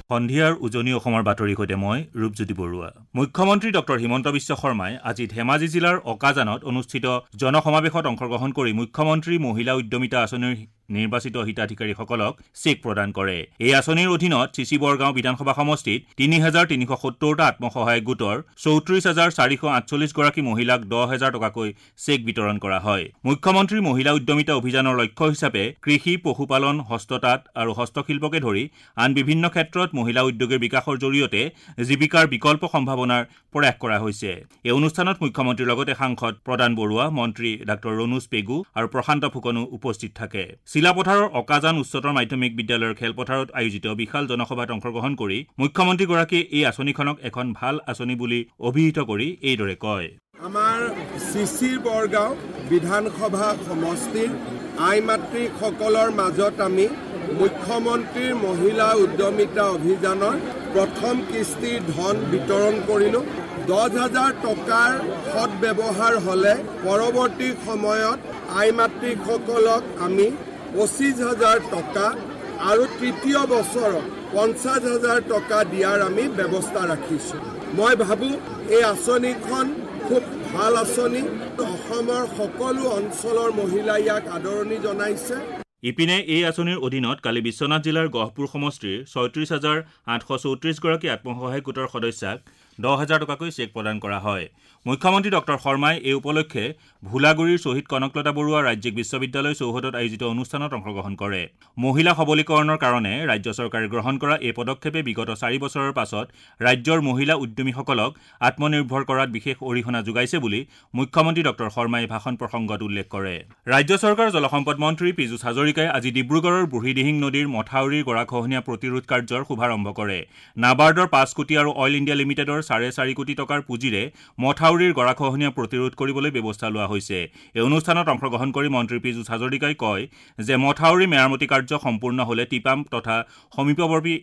সন্ধিয়াৰ উজনি অসমৰ বাতৰিৰ সৈতে মই ৰূপজ্যোতি বৰুৱা। মুখ্যমন্ত্ৰী ডক্টৰ হিমন্ত বিশ্ব শৰ্মাই আজি ধেমাজি জিলাৰ অকাজানত অনুষ্ঠিত জনসমাৱেশত অংশগ্ৰহণ কৰি মুখ্যমন্ত্ৰী মহিলা উদ্যমিতা আঁচনিৰ নিৰ্বাচিত হিতাধিকাৰীসকলক চেক প্ৰদান কৰে। এই আঁচনিৰ অধীনত চিচিবৰগাঁও বিধানসভা সমষ্টিত ৩৩৭০টা আত্মসহায়ক গোটৰ ৩৪,৪৪৮ গৰাকী মহিলাক ১০,০০০ টকাকৈ চেক বিতৰণ কৰা হয়। মুখ্যমন্ত্ৰী মহিলা উদ্যমিতা অভিযানৰ লক্ষ্য হিচাপে কৃষি, পশুপালন, হস্ততাঁত আৰু হস্তশিল্পকে ধৰি আন বিভিন্ন ক্ষেত্ৰত মহিলা উদ্যোগীৰ বিকাশৰ জৰিয়তে জীৱিকাৰ বিকল্প সম্ভাৱনাৰ প্ৰয়াস কৰা হৈছে। এই অনুষ্ঠানত মুখ্যমন্ত্ৰীৰ লগতে সাংসদ প্ৰদান বৰুৱা, মন্ত্ৰী ডাঃ ৰণোজ পেগু আৰু প্ৰশান্ত ফুকনো উপস্থিত থাকে। চিলাপথাৰৰ অকাজান উচ্চতৰ মাধ্যমিক বিদ্যালয়ৰ খেলপথাৰত আয়োজিত বিশাল জনসভাত অংশগ্ৰহণ কৰি মুখ্যমন্ত্ৰীগৰাকীয়ে এই আঁচনিখনক এখন ভাল আঁচনি বুলি অভিহিত কৰি এইদৰে কয়। আমাৰ চিচিৰ বৰগাঁও বিধানসভা সমষ্টিৰ আই মাতৃসকলৰ মাজত আমি মুখ্যমন্ত্ৰীৰ মহিলা উদ্যমিতা অভিযানৰ প্ৰথম কিস্তিৰ ধন বিতৰণ কৰিলোঁ। ১০,০০০ টকাৰ সদ্ব্যৱহাৰ হ'লে পৰৱৰ্তী সময়ত আই মাতৃসকলক আমি ২৫,০০০ টকা আৰু তৃতীয় বছৰত ৫০,০০০ টকা দিয়াৰ আমি ব্যৱস্থা ৰাখিছোঁ। মই ভাবোঁ এই আঁচনিখন খুব ভাল আঁচনি। অসমৰ সকলো অঞ্চলৰ মহিলাই ইয়াক আদৰণি জনাইছে। ইপিনে এই আঁচনিৰ অধীনত কালি বিশ্বনাথ জিলাৰ গহপুৰ সমষ্টিৰ ৩৬,৮৩৪ গৰাকী আত্মসহায়ক গোটৰ সদস্যাক ১০,০০০ টকাকৈ চেক প্ৰদান কৰা হয়। মুখ্যমন্ত্ৰী ডক্টৰ শৰ্মাই এই উপলক্ষে ভোলাগুৰিৰ শ্বহীদ কনকলতা বৰুৱা ৰাজ্যিক বিশ্ববিদ্যালয় চৌহদত আয়োজিত অনুষ্ঠানত অংশগ্ৰহণ কৰে। মহিলা সবলীকৰণৰ কাৰণে ৰাজ্য চৰকাৰে গ্ৰহণ কৰা এই পদক্ষেপে বিগত ৪ বছৰৰ পাছত ৰাজ্যৰ মহিলা উদ্যমীসকলক আত্মনিৰ্ভৰ কৰাত বিশেষ অৰিহণা যোগাইছে বুলি মুখ্যমন্ত্ৰী ডক্টৰ শৰ্মাই ভাষণ প্ৰসংগত উল্লেখ কৰে। ৰাজ্য চৰকাৰৰ জলসম্পদ মন্ত্ৰী পীযুষ হাজৰিকাই আজি ডিব্ৰুগড়ৰ বুঢ়ীদিহিং নদীৰ মথাউৰিৰ গৰাখহনীয়া প্ৰতিৰোধ কাৰ্যৰ শুভাৰম্ভ কৰে। নাবাৰ্ডৰ ৫ কোটি আৰু অইল ইণ্ডিয়া লিমিটেডৰ ৪.৫ কোটি টকাৰ পুঁজিৰে মথাউৰিৰ গৰাখহনীয়া প্ৰতিৰোধ কৰিবলৈ ব্যৱস্থা লোৱা হৈছে। এই অনুষ্ঠানত অংশগ্ৰহণ কৰি মন্ত্ৰী পীযুষ হাজৰিকাই কয় যে মথাউৰি মেৰামতি কাৰ্য সম্পূৰ্ণ হ'লে টিপাম তথা সমীপৱৰ্তী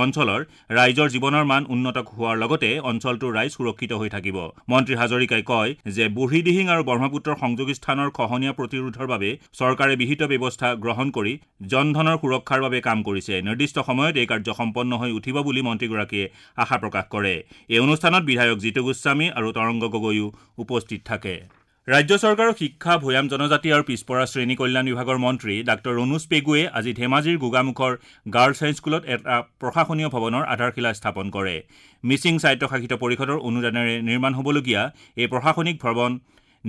অঞ্চলৰ ৰাইজৰ জীৱনৰ মান উন্নত হোৱাৰ লগতে অঞ্চলটোৰ ৰাইজ সুৰক্ষিত হৈ থাকিব। মন্ত্ৰী হাজৰিকাই কয় যে বুঢ়ীদিহিং আৰু ব্ৰহ্মপুত্ৰৰ সংযোগী স্থানৰ খহনীয়া প্ৰতিৰোধৰ বাবে চৰকাৰে বিহিত ব্যৱস্থা গ্ৰহণ কৰি জনধনৰ সুৰক্ষাৰ বাবে কাম কৰিছে। নিৰ্দিষ্ট সময়ত এই কাৰ্য সম্পন্ন হৈ উঠিব বুলি মন্ত্ৰীগৰাকীয়ে আশা প্ৰকাশ কৰে। এই অনুষ্ঠানত বিধায়ক জিতু গোস্বামী আৰু তৰংগ গগৈও উপস্থিত থাকে। ৰাজ্য চৰকাৰৰ শিক্ষা, ভৈয়াম জনজাতি আৰু পিছপৰা শ্ৰেণী কল্যাণ বিভাগৰ মন্ত্ৰী ডাঃ ৰণোজ পেগুৱে আজি ধেমাজিৰ গোগামুখৰ গাৰ্লছ হাইস্কুলত এটা প্ৰশাসনীয় ভৱনৰ আধাৰশিলা স্থাপন কৰে। মিচিং স্বায়ত্তশাসিত পৰিষদৰ অনুদানেৰে নিৰ্মাণ হ'বলগীয়া এই প্ৰশাসনিক ভৱন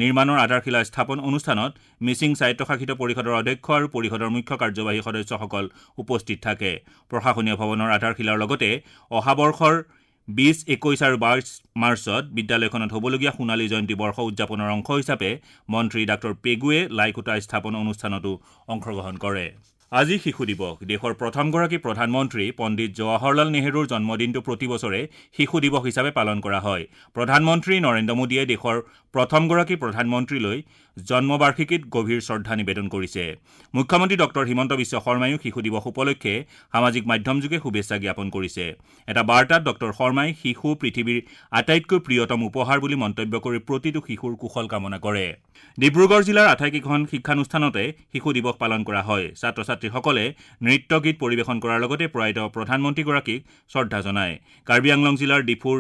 নিৰ্মাণৰ আধাৰশিলা স্থাপন অনুষ্ঠানত মিচিং স্বায়ত্তশাসিত পৰিষদৰ অধ্যক্ষ আৰু পৰিষদৰ মুখ্য কাৰ্যবাহী সদস্যসকল উপস্থিত থাকে। প্ৰশাসনীয় ভৱনৰ আধাৰশিলাৰ লগতে অহা বৰ্ষৰ ২০, ২১ আৰু ২২ মাৰ্চত বিদ্যালয়খনত হ'বলগীয়া সোণালী জয়ন্তী বৰ্ষ উদযাপনৰ অংশ হিচাপে মন্ত্ৰী ডাঃ পেগুৱে লাইখুঁটা স্থাপন অনুষ্ঠানতো অংশগ্ৰহণ কৰে। আজি শিশু দিৱস। দেশৰ প্ৰথমগৰাকী প্ৰধানমন্ত্ৰী পণ্ডিত জৱাহৰলাল নেহৰুৰ জন্মদিনটো প্ৰতি বছৰে শিশু দিৱস হিচাপে পালন কৰা হয়। প্ৰধানমন্ত্ৰী নৰেন্দ্ৰ মোদীয়ে দেশৰ প্ৰথমগৰাকী প্ৰধানমন্ত্ৰীলৈ জন্মবাৰ্ষিকীত গভীৰ শ্ৰদ্ধা নিবেদন কৰিছে। মুখ্যমন্ত্ৰী ডক্টৰ হিমন্ত বিশ্ব শৰ্মায়ো শিশু দিৱস উপলক্ষে সামাজিক মাধ্যমযোগে শুভেচ্ছা জ্ঞাপন কৰিছে। এটা বাৰ্তাত ডক্টৰ শৰ্মাই শিশু পৃথিৱীৰ আটাইতকৈ প্ৰিয়তম উপহাৰ বুলি মন্তব্য কৰি প্ৰতিটো শিশুৰ কুশল কামনা কৰে। ডিব্ৰুগড় জিলাৰ আটাইকেইখন শিক্ষানুষ্ঠানতে শিশু দিৱস পালন কৰা হয়। ছাত্ৰ ছাত্ৰীসকলে নৃত্য গীত পৰিৱেশন কৰাৰ লগতে প্ৰয়াত প্ৰধানমন্ত্ৰীগৰাকীক শ্ৰদ্ধা জনায়। কাৰ্বি আংলং জিলাৰ ডিফুৰ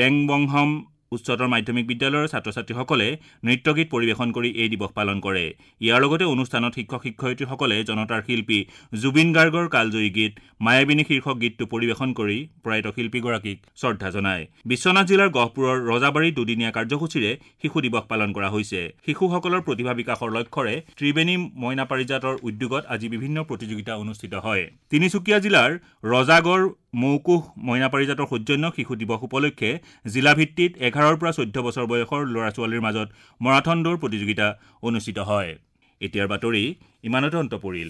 ৰেংবংহম উচ্চতৰ মাধ্যমিক বিদ্যালয়ৰ ছাত্ৰ ছাত্ৰীসকলে নৃত্য গীত পৰিৱেশন কৰি এই দিৱস পালন কৰে। ইয়াৰ লগতে অনুষ্ঠানত শিক্ষক শিক্ষয়িত্ৰীসকলে জনতাৰ শিল্পী জুবিন গাৰ্গৰ কালজয়ী গীত মায়াবিনী শীৰ্ষক গীতটো পৰিৱেশন কৰি প্ৰয়াত শিল্পীগৰাকীক শ্ৰদ্ধা জনায়। বিশ্বনাথ জিলাৰ গহপুৰৰ ৰজাবাৰীত দুদিনীয়া কাৰ্যসূচীৰে শিশু দিৱস পালন কৰা হৈছে। শিশুসকলৰ প্ৰতিভা বিকাশৰ লক্ষ্যৰে ত্ৰিবেণী মইনা পাৰিজাতৰ উদ্যোগত আজি বিভিন্ন প্ৰতিযোগিতা অনুষ্ঠিত হয়। তিনিচুকীয়া জিলাৰ ৰজাগড় মৌকোষ মইনা পাৰিজাতৰ সৌজন্য শিশু দিৱস উপলক্ষে জিলাভিত্তিত ১১ৰ পৰা ১৪ বছৰ বয়সৰ ল'ৰা ছোৱালীৰ মাজত মাৰাথন দৌৰ প্ৰতিযোগিতা অনুষ্ঠিত হয়। এতিয়াৰ বাতৰি ইমানতে অন্ত পৰিল।